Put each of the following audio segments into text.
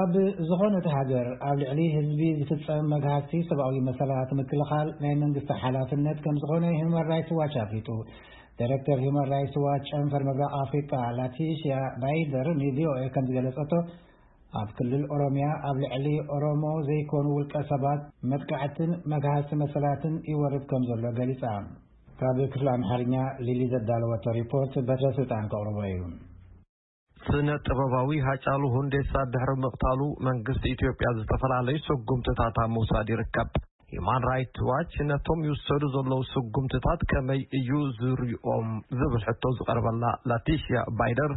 ኣብ ዝኾነት ሃገር ኣብ ልዕሊ ህዝቢ ዝፍጸም መግሃስቲ ሰብኣዊ መሰላት ምክልኻል ናይ መንግስቲ ሓላፍነት ከም ዝኾነ ሂውማን ራይትስ ዋች ኣፍሊጡ። ዳይሬክተር ሂውማን ራይትስ ዋች ጨንፈር ምብራቕ ኣፍሪቃ ላቲሽያ ባይደር ንቪኦኤ ከም ዝገለጸቶ፣ ኣብ ክልል ኦሮሚያ ኣብ ልዕሊ ኦሮሞ ዘይኮኑ ውልቀ ሰባት መጥቃዕትን መግሃስቲ መሰላትን ይወርድ ከም ዘሎ ገሊጻ። ካብ ክፍሊ ኣምሓርኛ ሊሊ ዘዳለወቶ ሪፖርት በትረ ስልጣን ከቕርቦ እዩ። ስነ ጥበባዊ ሃጫሉ ሁንዴሳ ድሕሪ ምቕታሉ መንግስቲ ኢትዮጵያ ዝተፈላለዩ ስጉምትታት ኣብ ምውሳድ ይርከብ። ሂማን ራይትስ ዋች ነቶም ይውሰዱ ዘለዉ ስጉምትታት ከመይ እዩ ዝሪኦም ዝብል ሕቶ ዝቐርበላ ላቲሽያ ባይደር፣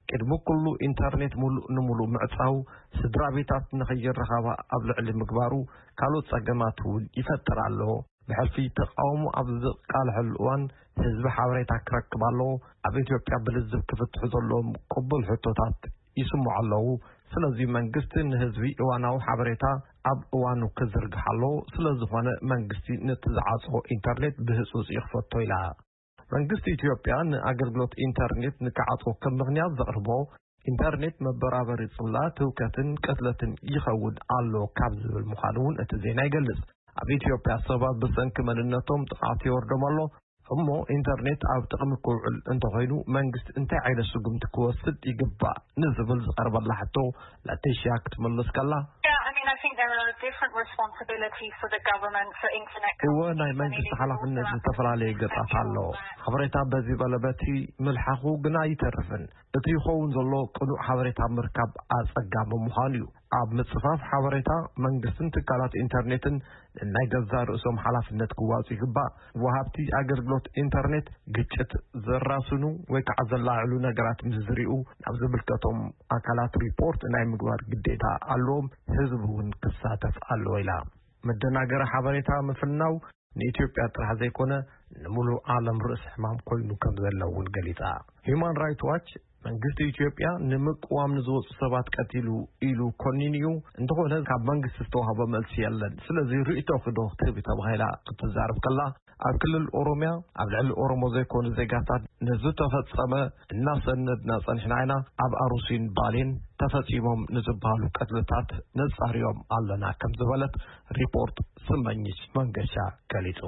ቅድሚ ኩሉ ኢንተርኔት ሙሉእ ንሙሉእ ምዕጻው፣ ስድራ ቤታት ንኸይረኻባ ኣብ ልዕሊ ምግባሩ ካልኦት ጸገማት እውን ይፈጥር ኣሎ። ብሕልፊ ተቃውሞ ኣብ ዝቃልሐሉ እዋን ህዝቢ ሓበሬታ ክረክብ ኣለዎ። ኣብ ኢትዮጵያ ብልዝብ ክፍትሑ ዘለዎም ቅቡል ሕቶታት ይስምዑ ኣለዉ። ስለዚ መንግስቲ ንህዝቢ እዋናዊ ሓበሬታ ኣብ እዋኑ ክዝርግሕ ኣለዎ። ስለዝኾነ መንግስቲ ነቲ ዝዓጽዎ ኢንተርኔት ብህጹጽ ይኽፈቶ ኢላ። መንግስቲ ኢትዮጵያ ንኣገልግሎት ኢንተርኔት ንክዓጽዎ ከም ምኽንያት ዘቕርቦ ኢንተርኔት መበራበሪ ጽላ ትውከትን ቅትለትን ይኸውን ኣሎ ካብ ዝብል ምዃኑ እውን እቲ ዜና ይገልጽ። ኣብ ኢትዮጵያ ሰባት ብሰንኪ መንነቶም ጥቕዓት ይወርዶም ኣሎ። እሞ ኢንተርኔት ኣብ ጥቕሚ ክውዕል እንተኾይኑ መንግስቲ እንታይ ዓይነት ስጉምቲ ክወስድ ይግባእ ንዝብል ዝቐርበላ ሕቶ ላቲሽያ ክትምልስ ከላ፣ Yeah, I mean, I think there are different responsibilities for the government for internet እወ፣ ናይ መንግስቲ ሓላፍነት ዝተፈላለየ ገጻት ኣሎ። ሓበሬታ በዚ በለ በቲ ምልሓኹ ግና ኣይተርፍን። እቲ ይኸውን ዘሎ ቅኑዕ ሓበሬታ ምርካብ ኣጸጋሚ ምዃኑ እዩ። ኣብ ምጽፋፍ ሓበሬታ መንግስትን ትካላት ኢንተርኔትን ናይ ገዛእ ርእሶም ሓላፍነት ክዋጹ ይግባእ። ወሃብቲ ኣገልግሎት ኢንተርኔት ግጭት ዘራስኑ ወይ ከዓ ዘላዕሉ ነገራት ምስ ዝሪኡ ናብ ዝምልከቶም ኣካላት ሪፖርት ናይ ምግባር ግዴታ ኣለዎም። ህዝቢ እውን ክሳተፍ ኣለዎ ኢላ። መደናገሪ ሓበሬታ ምፍናው ንኢትዮጵያ ጥራሕ ዘይኮነ ንሙሉእ ዓለም ርእሲ ሕማም ኮይኑ ከም ዘሎ እውን ገሊጻ። ሂዩማን ራይትስ ዋች መንግስቲ ኢትዮጵያ ንምቅዋም ንዝወፁ ሰባት ቀቲሉ ኢሉ ኮኒኑ እዩ። እንተኾነ ካብ መንግስቲ ዝተዋህበ መልሲ የለን። ስለዚ ርእይቶኺ ዶ ክትህቢ ተባሂላ ክትዛረብ ከላ፣ ኣብ ክልል ኦሮሚያ ኣብ ልዕሊ ኦሮሞ ዘይኮኑ ዜጋታት ንዝተፈጸመ እናሰነድና ጸኒሕና ኢና። ኣብ ኣሩሲን ባሌን ተፈጺሞም ንዝበሃሉ ቅትልታት ነጻርዮም ኣለና ከም ዝበለት ሪፖርት ስመኝሽ መንገሻ ገሊጹ።